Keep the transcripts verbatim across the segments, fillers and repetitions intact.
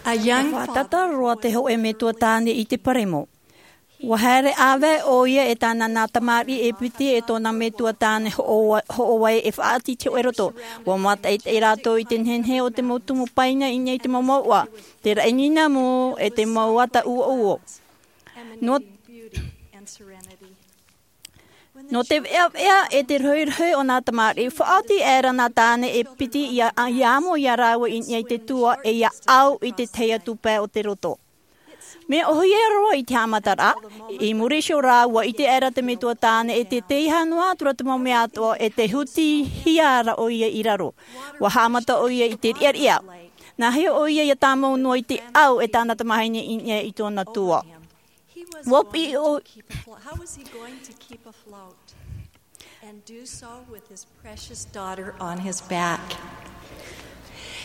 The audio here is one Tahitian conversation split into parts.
A young father. Faʻatata roa te hōʻē metua tāne i te paremo. Ua haere ʻāvae ʻoia e tāna nā tamariʻi e piti e tōna metua tāne hoʻo-, hoʻovai e faʻaʻati i te hōʻē roto. Ua mātaʻitaʻi rātou i te nehenehe o te mau tumu paina i niʻa i te mau mouʻa, te raʻi nīnamu e te mau ata ʻuoʻuo. Nō, nō te veʻaveʻa e te rohirohi o nā tamariʻi, faʻaoti aʻera nā tāne e piti ia, ia amo ia rāua i niʻa i te tua e ia au i te tahi atu pae o te roto. Mea ʻōhie roa i te haʻamataraʻa, i muri iho rā, ua ʻite aʻera te metua tāne e te teiaha noa atu ra te mau mea atoʻa e te hutihia ra ʻoia i raro. Ua haʻamata ʻoia i te riʻariʻa. Nāhea ʻoia ia tāmau noa i te au e tāna tamahine i niʻa i tōna tua? Ua piʻi ʻo- How was he going to keep afloat and do so with his precious daughter on his back?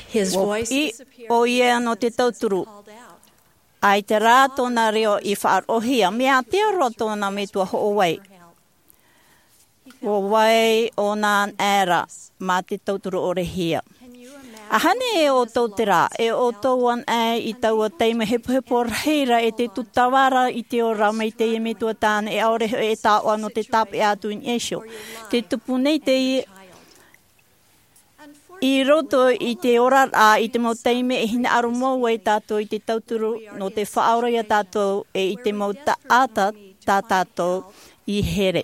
His voice disappeared. Ua piʻi ʻoia nō te tauturu. Called out. ʻAita rā tōna reo i faʻaroʻohia, mea ātea roa tōna metua hoʻovai. Ua vai ʻōna anaʻe mā te tauturu ʻorehia. ʻAhani e ʻoutou terā, e ʻoutou anaʻe i taua taime hepohepo rahi ra e te tūtava ra i te ora mai teie metua tāne e ʻaore hoʻi e taoʻa nō te tāpeʻa atu i niʻa iho. Te tupu nei teie i roto i te oraraʻa i te mau taime e hinaʻaro mau ai tātou i te tauturu nō te faʻaora ia tātou e i te mau taʻata tā tātou i here.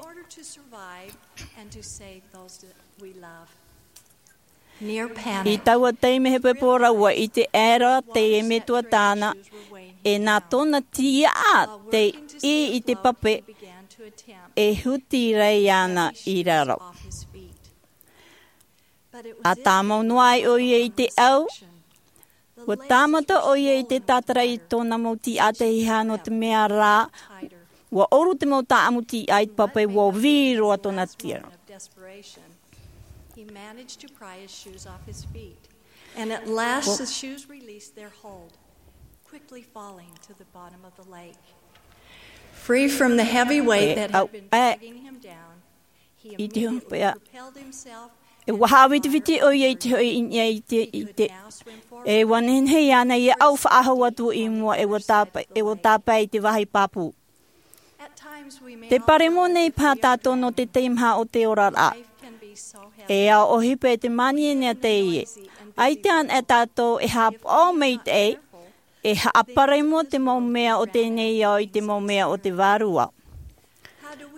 I taua taime hepohepo ra ua ʻite aʻera te metua tāne e nā tōna tiaʻa te ʻī i te pape e huti ra iāna i raro. ʻA tāmau noa ai ʻoia i te au, ua tāmata ʻoia i te tātara i tōna mau tiaʻa teiaha nō te mea rā, ua ʻoru te mau tāʻamu tiaʻa i te pape, ua vī roa tōna tiaʻa. He managed to pry his shoes off his feet. And at last, the shoes released their hold, quickly falling to the bottom of the lake. Free from the heavy weight that had been dragging him down, he immediately propelled himself. E ua haʻavitiviti ʻoia i te hoʻi i niʻa i te, i te, e ua nehenehe iāna ia au faʻahou atu i mua, e ua tāpae, e ua tāpae i te vāhi pāpū. Te paremo nei paha tātou nō te teimaha o te oraraʻa. E ao ʻohipa e te māniania teie. ʻAita anaʻe tātou e haʻapaʻo maitaʻi, e haʻaparemo te mau mea o teie nei ao i te mau mea o te Vārua.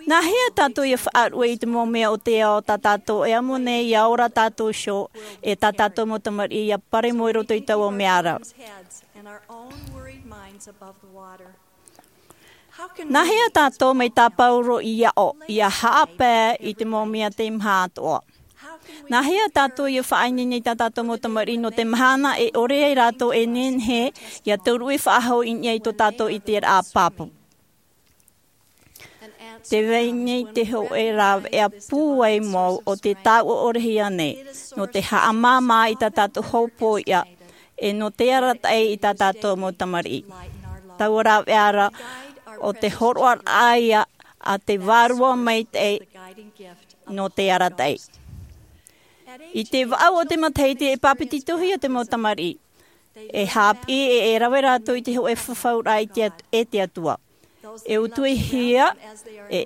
Nāhea tātou ia faʻaruʻe i te mau mea o te ao tā tātou e amo nei ia ora tātou iho, e tā tātou mau tamariʻi ia paremo i roto i taua mea ra? Nāhea tātou mai tā Pauro i aʻo, ia haʻapae i te mau mea teimaha atoʻa? Nāhea tātou ia faʻaineine i tā tātou mau tamariʻi nō te mahana e ʻore ai rātou e nehenehe ia tauruʻe faʻahou i niʻa i tō tātou ʻiteraʻa pāpū? Tē vai nei te hōʻē rāveʻa pūai mau o te taoʻa ʻorehia nei, nō te haʻamāmā i tā tātou hōpoiʻa, e nō te arataʻi i tā tātou mau tamariʻi. Taua rāveʻa ra, ʻo te hōroʻaraʻa ia a te Vārua Maitaʻi nō te arataʻi. I te vaʻu o te matahiti e pāpetitohia te mau tamariʻi. E haʻapiʻi e, e rave rātou i te hōʻē fafauraʻa i te At-, e te Atua. E utuhia, e,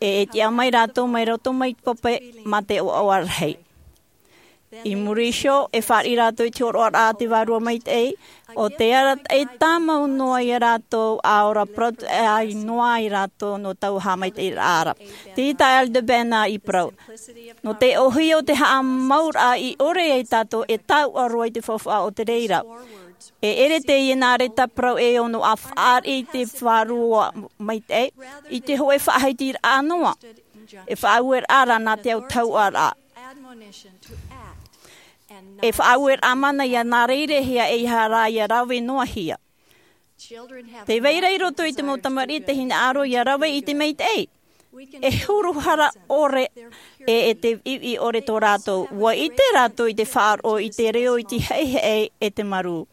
e, e tiʻa mai rātou mai roto mai te pape mā te ʻoaʻoa rahi. I muri iho, e fāriʻi rātou i te hōroʻaraʻa a te Vārua Maitaʻi, ʻo te arataʻi tāmau noa ia rātou, ʻa ora parau atu noa ai rātou nō taua haʻamaitaʻiraʻa ra. Tē ʻite Elder Bednar i parau. Nō te ʻōhie o te haʻamauraʻa i ʻore ai tātou e taoʻa roa i te faufaʻa o te reira. E ʻere teie nā reira parau e ono ʻa fāriʻi i te Vārua Maitaʻi, i te hōʻē faʻahitiraʻa noa. E faʻaueraʻa ra nā te autahuʻaraʻa. E faʻaueraʻa mana ia nā reirehia e ʻeiaha rā ia rave noa hia. Tē vai ra i roto i te mau tamariʻi te hinaʻaro ia rave i te maitaʻi. E huru hara ʻore e, e te viʻiviʻi ʻore tō rātou. Ua ʻite rātou i te faʻaroʻo i te reo, i te heʻeheʻe e te marū.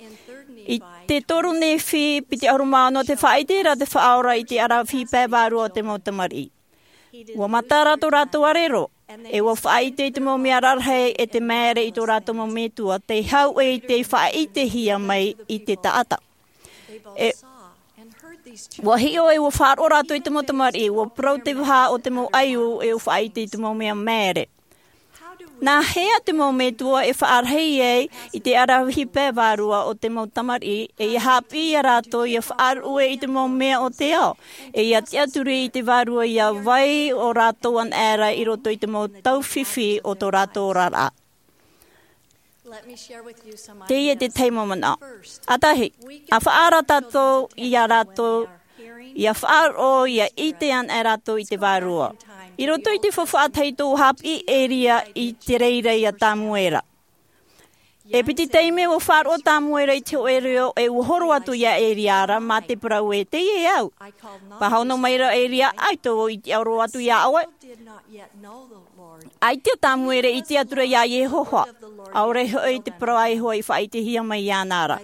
I te toru Nephi piti ʻahuru mā ono, tē faʻaʻite ra te Faʻaora i te ʻaravihi pae vārua o te mau tamariʻi. Ua mata ra tō rātou ʻarero, e ua faʻaʻite i te mau mea rarahi e te māere i tō rātou mau metua, tei hau ʻē i te faʻaʻitehia mai i te taʻata. E, ua hiʻo e ua faʻaroʻo rātou i te mau tamariʻi, ua parau te vaha o te mau ʻaiū e ua faʻaʻite i te mau mea maere. Nā hea te mau metua e faʻarahi ai i te aravihi pae vārua o te mau tamariʻi, e ia haʻapiʻi ia rātou ia faʻaruʻe i te mau mea o te ao, e ia tiʻaturi i te vārua ia vai ʻo rātou anaʻe ra i roto i te mau taufifi o tō rātou oraraʻa? Teie te tahi mau manaʻo. ʻAtahi, a faʻaara tātou ia rātou, ia faʻaroʻo, ia ʻite anaʻe rātou i te vārua. I roto i te faufaʻa tahito, ua haʻapiʻi ʻo Elia i te reira ia Tamuera. E piti taime ua faʻaroʻo Tamuera i te hōʻē reo, e ua horo atu ia Elia ra mā te parau ē, teie au. Pāhono mai ra Elia, ʻaita vau i tiʻaoro atu ia ʻoe. ʻAita Tamuera i tiʻaturi ia Iehova. ʻAore hoʻi te parau a Iehova i faʻaʻitehia mai iāna ra.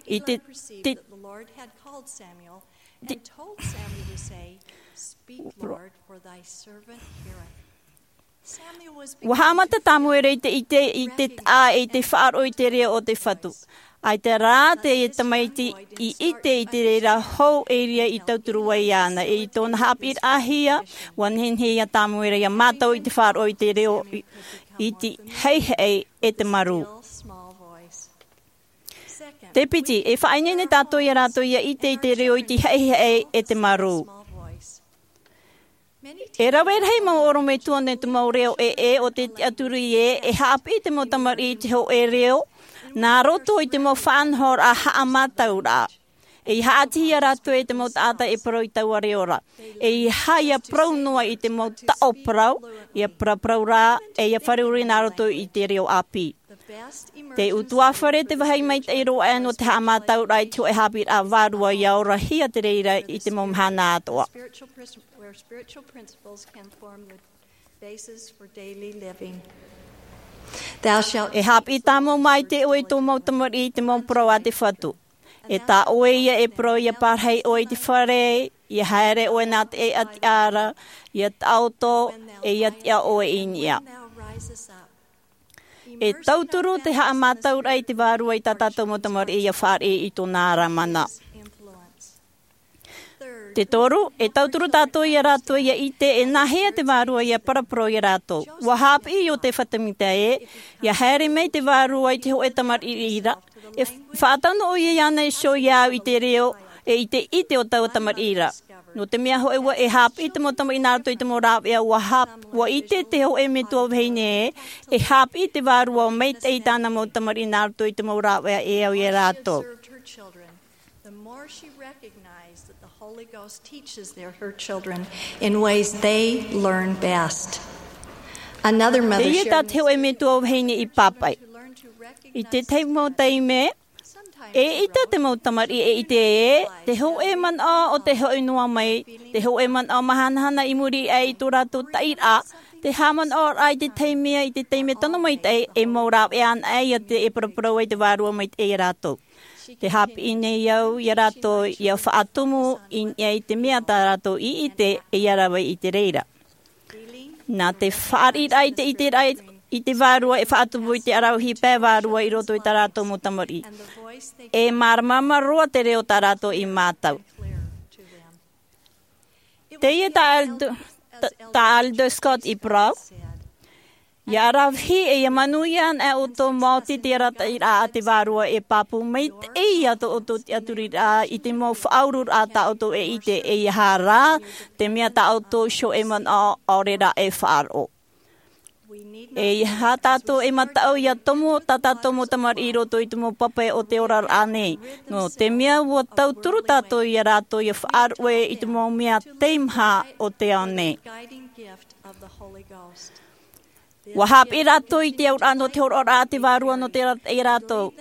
I te, te, te, Ua haʻamata Tamuera i te ʻite, i te taʻa, i te faʻaroʻo i te reo o te Fatu. ʻAita rā te tamaiti i ʻite i te reira hou Elia i tauturu ai iāna, e i tōna haʻapiʻiraʻahia, ua nehenehe ia Tamuera ia mātau i te faʻaroʻo i te reo i, i te haʻehaʻe e te marū. Te piti, e faʻaineine tātou ia rātou ia ʻite i te reo i te haʻehaʻe e te marū. E rave rahi mau ʻorometua nō te mau reo ʻē, ʻē, ʻo te tiʻaturi ē, e haʻapiʻi te mau tamariʻi i te hōʻē reo, nā roto i te mau faʻanahoraʻa haʻamātauraʻa. E ia haʻatihi ia rātou e te mau taʻata e parau i taua reo ra. E ia haʻa ia parau noa i te mau taʻo parau, ia paraparau rā, e ia fāriʻi nā roto i te reo ʻāpī. Te ʻutuāfare te vāhi maitaʻi roa aʻe nō te haʻamātauraʻa i te hōʻē haʻapiʻiraʻa vārua ia orahia te reira i te mau mahana atoʻa. Where spiritual principles can form the basis for daily living. Thou shalt E haʻapiʻi tāmau maitaʻi ʻoe i tō mau tamariʻi i te mau parau a te Fatu. E tā ʻoe ia e parau ia parahi ʻoe i te fare, ia haere ʻoe nā te ʻēʻa tiʻa ra, ia taʻoto, e ia tiʻa ʻoe i niʻa. E tauturu te haʻamātauraʻa i te Vārua i tā tātou mau tamariʻi ia fāriʻi i tōna ara mana. Te toru, e tauturu tātou ia rātou ia ʻite e nāhea te Vārua ia paraparau ia rātou. ʻUa haʻapiʻi Iosepha Semita ē, ia haere mai te Vārua i te hōʻē tamariʻi ra, e faʻatano ʻoia iāna iho ia au i te reo, e i te ʻite o taua tamariʻi ra. Nō te mea hoʻi ʻua e haʻapiʻi te mau tamariʻi nā roto i te mau rāveʻa, ʻua hāp-, ʻua ʻite te hōʻē metua vahine ē, e haʻapiʻi te Vārua maitaʻi i tāna mau tamariʻi nā roto i te mau rāveʻa e au ia rātou. The more she recognized that the Holy Ghost teaches their, her children in ways they learn best. Another mother Teie tā shared te hōʻē metua vahine i pāpaʻi. I te tahi mau taime, e ʻita te mau tamariʻi e ʻite ē, te hōʻē manaʻo o te hoʻi noa mai, te hōʻē manaʻo mahanahana i muri aʻe i tō rātou taʻiraʻa, te haʻamanaʻoraʻa i te taime, i te taime tano maitaʻi, e mau rāveʻa anaʻe ia te, e paraparau ai te Vārua maitaʻi ia rātou. Te haʻapiʻi nei au ia rātou ia faʻatumu i niʻa i te mea tā rātou i ʻite e ia rave i te reira. Nā te fāriʻiraʻa i te ʻiteraʻa i te Vārua e faʻatupu i te aravihi pae vārua i roto i tā rātou mau tamariʻi. E māramarama roa te reo tā rātou i mātau. Teie tā Aldo, tā, tā Aldo Scott i parau. Ia aravihi e ia manuia anaʻe ʻoutou maoti te arataʻiraʻa a te Vārua e pāpū maitaʻi ia tō ʻoutou tiʻaturiraʻa i te mau faʻaururaʻa tā ʻoutou e ʻite, ʻeiaha rā te mea tā ʻoutou iho e manaʻo ʻaore rā e faʻaroʻo. ʻEiaha tātou e mataʻu ia tomo tā tātou mau tamariʻi i roto i te mau pape o te oraraʻa nei. Nō te mea ʻua tauturu tātou ia rātou ia faʻaruʻe i te mau mea teimaha o te ao nei. ʻUa haʻapiʻi rātou i te auraʻa nō te hōroʻaraʻa a te Vārua nō te arataʻi ia rātou.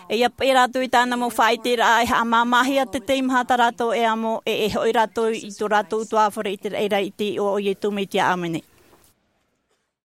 E ia paʻi rātou i tāna mau faʻaiteraʻa e haʻamāmāhia te teimaha tā rātou e amo, e, e hoʻi rātou i tō rātou ʻutuāfare i te raʻi i te iʻoa o Iesu Mesia. ʻĀmene.